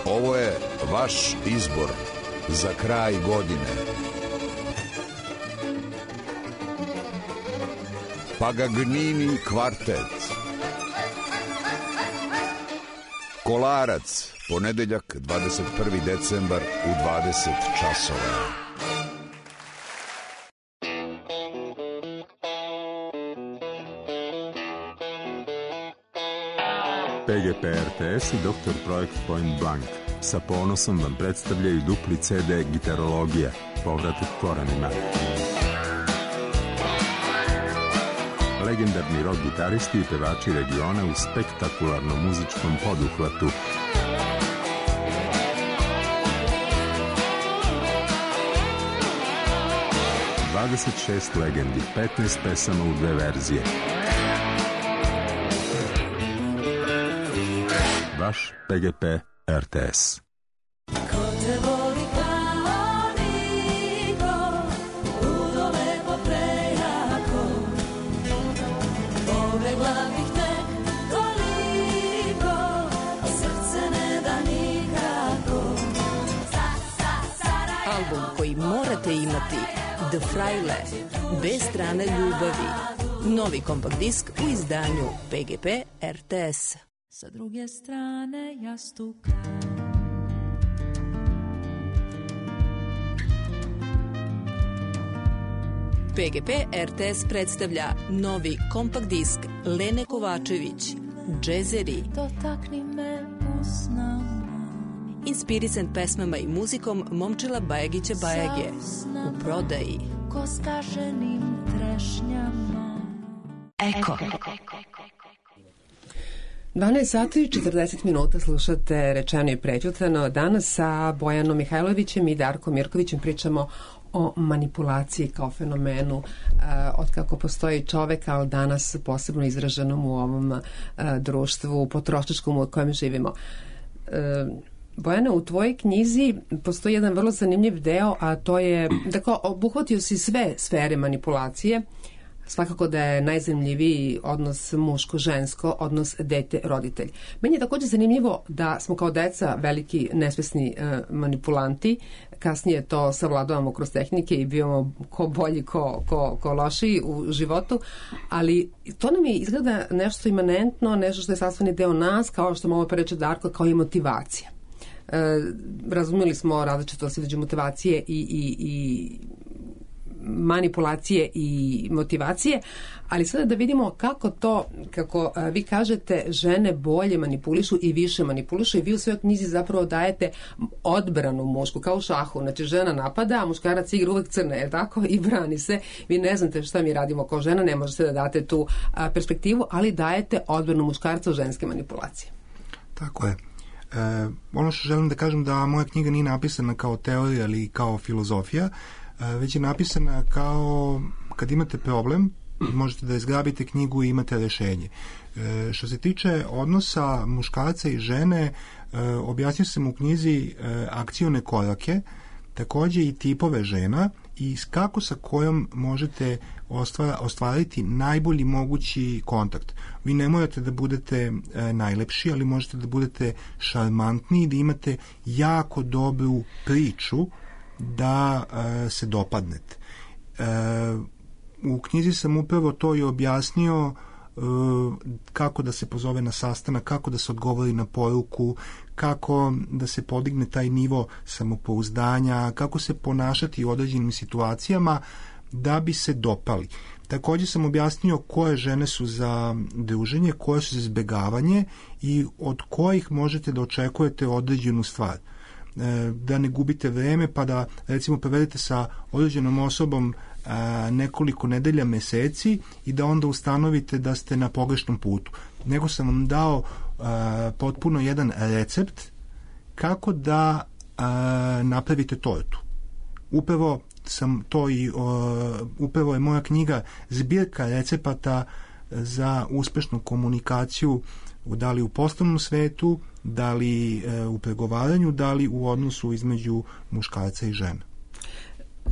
Ovo je vaš izbor za kraj godine. Pagagnini kvartet. Kolarac, ponedeljak 21. decembar u 20 časova. PGP RTS i Dr. Projekt Point Blank sa ponosom vam predstavljaju dupli CD Gitarologija, povratak korenima. Legendarni rock gitaristi i pevači regiona u spektakularnom muzičkom poduhvatu. ...26 legendi, 15 pesama u 2 verzije. Vaš PGP RTS. Ko te voli kao niko, udole po prejako, pobegla bih te toliko, a srce ne da nikako. Album koji morate imati, The Fraile, bez strane ljubavi. Novi kompakt disk u izdanju PGP RTS. Sa druge strane jastuka PGP RTS predstavlja novi kompakt disk Lene Kovačević, Džezeri. Dotakni me usnama. Inspirisan pesmama i muzikom Momčila Bajagića Bajage. U prodaji. Ko skaženim trešnjama. Eko. 12 sati i 40 minuta slušate Rečeno i prećutano. Danas sa Bojanom Mihajlovićem i Darkom Mirkovićem pričamo o manipulaciji kao fenomenu od kako postoji čovek, ali danas posebno izraženom u ovom društvu potrošačkom u kojem živimo. Bojana, u tvojoj knjizi postoji jedan vrlo zanimljiv deo, a to je, dakle, obuhvatio si sve sfere manipulacije. Svakako da je najzanimljiviji odnos muško-žensko, odnos dete-roditelj. Meni je također zanimljivo da smo kao deca veliki nesvesni manipulanti, kasnije to savladavamo kroz tehnike i bivamo ko bolji, ko lošiji u životu, ali to nam je izgleda nešto imanentno, nešto što je sastavni deo nas, kao što malo prereče Darko, kao i motivacija. Razumeli smo različitost između motivacije i manipulacije i motivacije, ali sada da vidimo kako to, kako vi kažete, žene bolje manipulišu i više manipulišu i vi u svojoj knjizi zapravo dajete odbranu mušku, kao u šahu. Znači žena napada, a muškarac igra uvek crne, je tako? I brani se. Vi ne znate šta mi radimo kao žena, ne možete da date tu perspektivu, ali dajete odbranu muškarca u ženske manipulacije. Tako je. Ono što želim da kažem da moja knjiga nije napisana kao teorija ili kao filozofija, već je napisana kao kad imate problem, možete da izgrabite knjigu i imate rešenje. Što se tiče odnosa muškarca i žene, objasnio sam u knjizi akcione korake, također i tipove žena i kako sa kojom možete ostvariti najbolji mogući kontakt. Vi ne morate da budete najlepši, ali možete da budete šarmantni i da imate jako dobru priču da se dopadnete. U knjizi sam upravo to i objasnio, kako da se pozove na sastanak, kako da se odgovori na poruku, kako da se podigne taj nivo samopouzdanja, kako se ponašati u određenim situacijama da bi se dopali. Također sam objasnio koje žene su za druženje, koje su za izbjegavanje i od kojih možete da očekujete određenu stvar. Da ne gubite vreme pa da recimo provedete sa određenom osobom nekoliko nedelja, meseci i da onda ustanovite da ste na pogrešnom putu. Nego sam vam dao potpuno jedan recept kako da napravite tortu. Upravo sam to i upravo je moja knjiga zbirka recepata za uspešnu komunikaciju, da li u poslovnom svetu, da li u pregovaranju, da li u odnosu između muškarca i žene.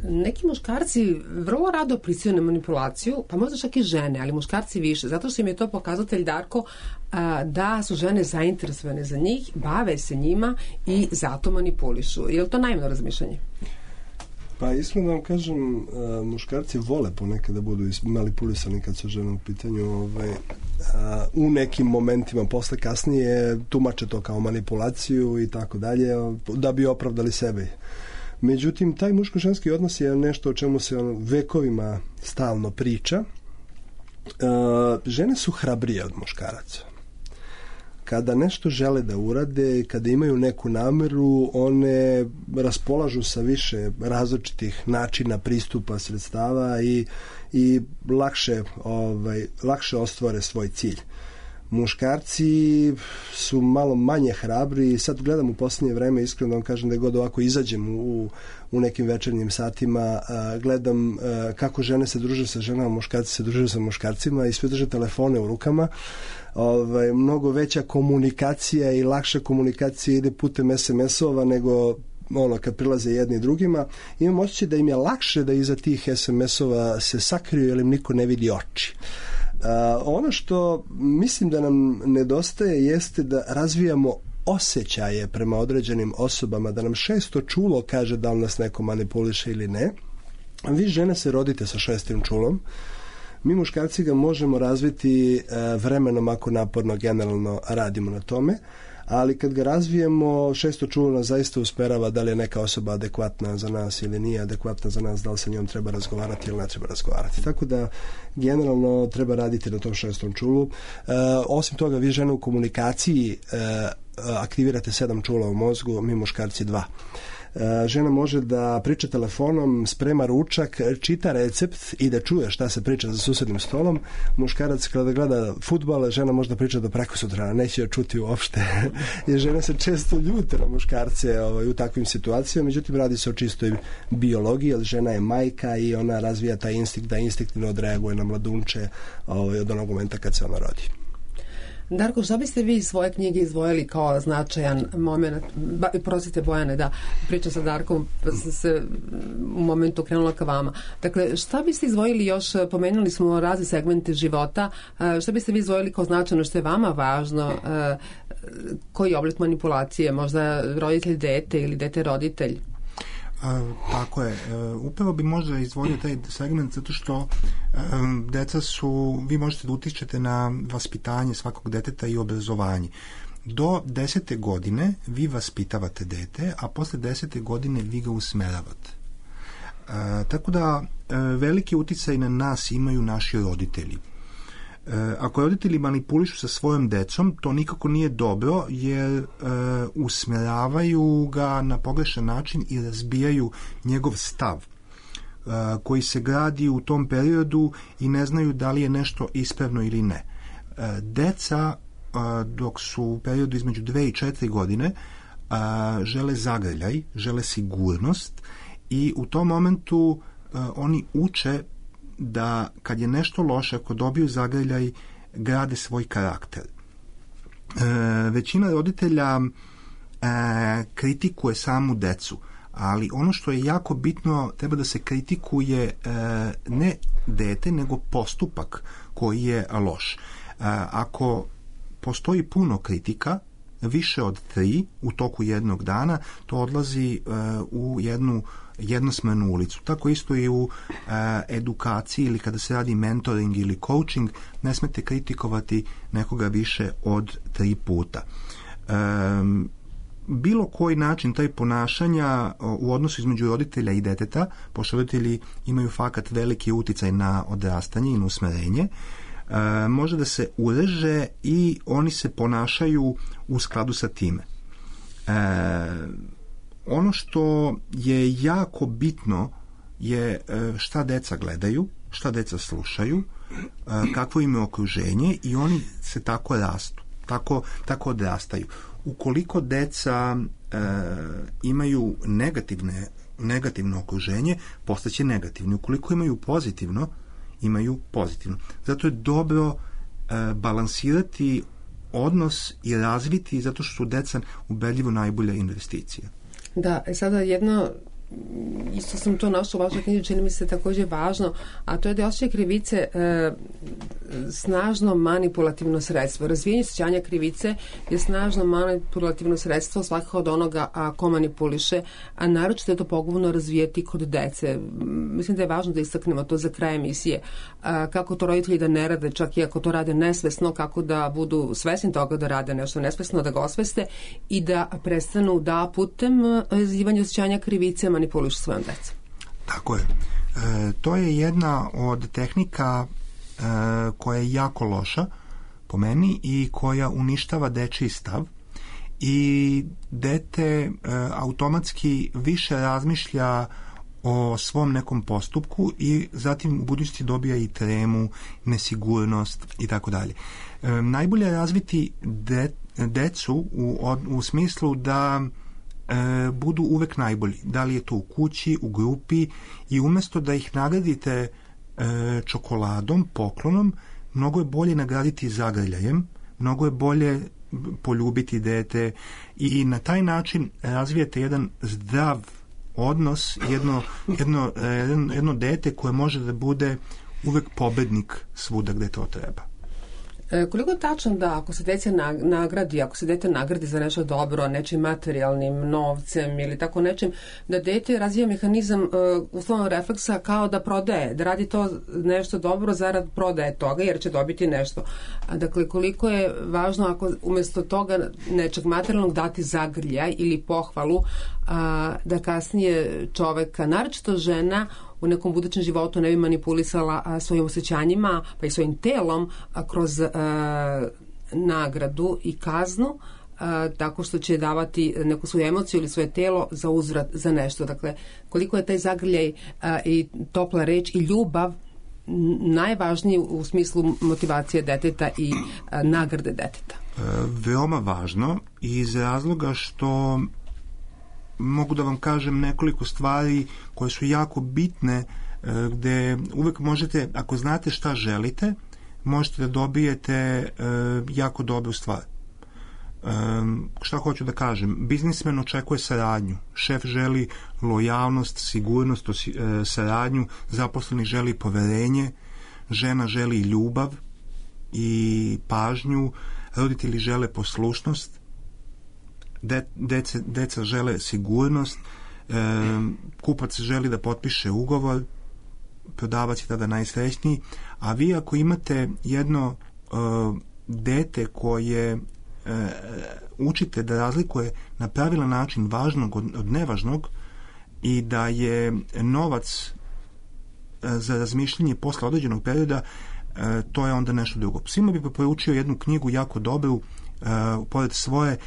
Neki muškarci vrlo rado pristaju na manipulaciju, pa možda čak i žene, ali muškarci više, zato što im je to pokazatelj, Darko, da su žene zainteresovane za njih, bave se njima i zato manipulišu. Je li to naivno razmišljanje? Pa iskreno da vam kažem, muškarci vole ponekad da budu manipulisani kad su žene u pitanju, u nekim momentima, posle kasnije tumače to kao manipulaciju i tako dalje, da bi opravdali sebe. Međutim, taj muško-ženski odnos je nešto o čemu se vekovima stalno priča. Žene su hrabrije od muškaraca. Kada nešto žele da urade, kada imaju neku nameru, one raspolažu sa više različitih načina pristupa, sredstava i lakše ostvare svoj cilj. Muškarci su malo manje hrabri i sad gledam u posljednje vreme, iskreno vam kažem da god ovako izađem u nekim večernjim satima, gledam kako žene se druže sa ženama, muškarci se druže sa muškarcima i sve drže telefone u rukama. Mnogo veća komunikacija i lakša komunikacija ide putem SMS-ova nego kad prilaze jedni drugima. Imam osjećaj da im je lakše da iza tih SMS-ova se sakriju jer im niko ne vidi oči. Ono što mislim da nam nedostaje jeste da razvijamo osjećaje prema određenim osobama, da nam šesto čulo kaže da li nas neko manipuliše ili ne. Vi žene se rodite sa šestim čulom. Mi muškarci ga možemo razviti vremenom ako naporno generalno radimo na tome, ali kad ga razvijemo, šesto čulo nas zaista usmerava da li je neka osoba adekvatna za nas ili nije adekvatna za nas, da li sa njom treba razgovarati ili ne treba razgovarati. Tako da generalno treba raditi na tom šestom čulu. Osim toga, vi žene u komunikaciji aktivirate 7 čula u mozgu, mi muškarci 2. Žena može da priča telefonom, sprema ručak, čita recept i da čuje šta se priča za susednim stolom. Muškarac kada gleda fudbal, žena može da priča do prekosutra, neće joj čuti uopšte. Jer žene se često ljute na muškarce u takvim situacijama, međutim radi se o čistoj biologiji, jer žena je majka i ona razvija taj instinkt da instinktivno odreaguje na mladunče od onog momenta kad se ona rodi. Darko, šta biste vi iz svoje knjige izdvojili kao značajan moment? Prosite, Bojane, da pričam sa Darkom, pa sam se u momentu krenula ka vama. Dakle, šta biste izdvojili još, pomenuli smo razne segmente života, šta biste vi izdvojili kao značajno, što je vama važno, koji oblik manipulacije, možda roditelj dete ili dete roditelj? Tako je. Upravo bi možda izdvojio taj segment zato što deca su, vi možete da utičete na vaspitanje svakog deteta i obrazovanje. Do 10. godine vi vaspitavate dete, a posle 10. godine vi ga usmeravate. Tako da veliki uticaj na nas imaju naši roditelji. Ako roditelji manipulišu sa svojom decom, to nikako nije dobro, jer usmeravaju ga na pogrešan način i razbijaju njegov stav koji se gradi u tom periodu i ne znaju da li je nešto ispravno ili ne. Deca, dok su u periodu između 2 i 4 godine, žele zagrljaj, žele sigurnost i u tom momentu oni uče da kad je nešto loše, ako dobiju zagrljaj, grade svoj karakter. Većina roditelja kritikuje samu decu, ali ono što je jako bitno, treba da se kritikuje ne dete, nego postupak koji je loš. Ako postoji puno kritika, više od 3 u toku jednog dana, to odlazi u jednu jednosmernu ulicu. Tako isto i u edukaciji ili kada se radi mentoring ili coaching, ne smete kritikovati nekoga više od 3 puta. Bilo koji način taj ponašanja u odnosu između roditelja i deteta, pošto roditelji imaju fakat veliki uticaj na odrastanje i na usmerenje, može da se ureže i oni se ponašaju u skladu sa time. Ono što je jako bitno je šta deca gledaju, šta deca slušaju, kakvo im je okruženje i oni se tako rastu, tako odrastaju. Ukoliko deca imaju negativno okruženje, postaće negativni. Ukoliko imaju pozitivno, imaju pozitivno. Zato je dobro balansirati odnos i razviti, zato što su deca ubedljivo najbolja investicija. Da, sada jedno, isto sam to našla u vašoj knjizi, čini mi se također važno, a to je da osjećaj krivice snažno manipulativno sredstvo. Razvijenje osjećanja krivice je snažno manipulativno sredstvo svakako od onoga ko manipuliše, a naročito je to pogubno razvijeti kod dece. Mislim da je važno da istaknemo to za kraj emisije. Kako to roditelji da ne rade, čak i ako to rade nesvesno, kako da budu svesni toga da rade nešto nesvesno, da ga osveste i da prestanu da putem razvijanja osjećanja krivice manipulišu svojom decom. Tako je. To je jedna od tehnika koja je jako loša po meni i koja uništava dečiji stav i dete automatski više razmišlja o svom nekom postupku i zatim u budućnosti dobija i tremu, nesigurnost i tako dalje. Najbolje je razviti decu u smislu da budu uvek najbolji. Da li je to u kući, u grupi i umjesto da ih nagradite čokoladom, poklonom, mnogo je bolje nagraditi zagrljajem, mnogo je bolje poljubiti dete i na taj način razvijete jedan zdrav odnos, jedno dete koje može da bude uvek pobednik svuda gde to treba. Koliko je tačno da ako se dete nagradi, ako se dete nagradi za nešto dobro, nečim materijalnim, novcem ili tako nečim, da dete razvija mehanizam uslovnog refleksa kao da prodaje, da radi to nešto dobro zarad prodaje toga jer će dobiti nešto. Dakle, koliko je važno ako umjesto toga nečeg materijalnog dati zagrljaj ili pohvalu, da kasnije čoveka, naročito žena, u nekom budućem životu ne bi manipulisala svojim osjećanjima pa i svojim telom kroz nagradu i kaznu, tako što će davati neku svoju emociju ili svoje telo za uzvrat za nešto. Dakle, koliko je taj zagrljaj i topla reč i ljubav najvažniji u smislu motivacije deteta i nagrade deteta? Veoma važno iz razloga što mogu da vam kažem nekoliko stvari koje su jako bitne, gde uvek možete, ako znate šta želite, možete da dobijete jako dobru stvar. Šta hoću da kažem? Biznismen očekuje saradnju, šef želi lojalnost, sigurnost, saradnju, zaposleni želi poverenje, žena želi ljubav i pažnju, roditelji žele poslušnost, deca žele sigurnost, kupac želi da potpiše ugovor, prodavac je tada najsrećniji, a vi ako imate jedno dete koje učite da razlikuje na pravilan način važnog od nevažnog i da je novac za razmišljanje posle određenog perioda, to je onda nešto drugo. Svima bi preporučio jednu knjigu jako dobru, pored svoje,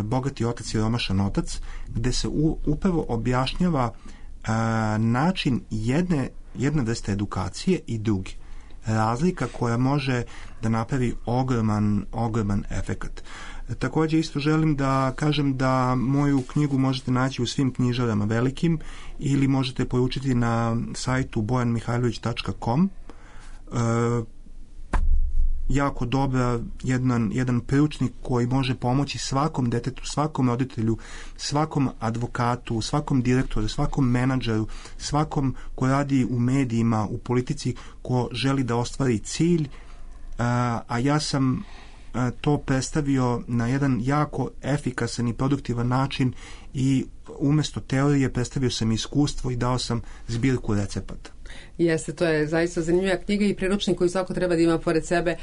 Bogati otac i romašan otac, gde se upravo objašnjava način jedne vrste edukacije i drugi. Razlika koja može da napravi ogroman efekat. Također isto želim da kažem da moju knjigu možete naći u svim knjižarama velikim ili možete poručiti na sajtu bojanmihajlović.com. Jako dobra, jedan priručnik koji može pomoći svakom detetu, svakom roditelju, svakom advokatu, svakom direktoru, svakom menadžeru, svakom ko radi u medijima, u politici, ko želi da ostvari cilj, a ja sam to predstavio na jedan jako efikasan i produktivan način i umjesto teorije predstavio sam iskustvo i dao sam zbirku recepata. Jeste, to je zaista zanimljiva knjiga i priručnik koji svako treba da ima pored sebe.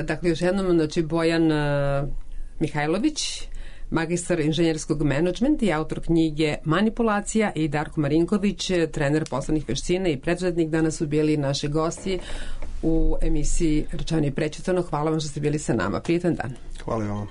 Dakle, još jednom, znači, Bojan Mihajlović, magistar inženjerskog menadžmenta i autor knjige Manipulacija, i Darko Marinković, trener poslovnih veština i preduzetnik, danas su bili naši gosti u emisiji Rečeno i prečitano. Hvala vam što ste bili sa nama. Prijetan dan. Hvala vam.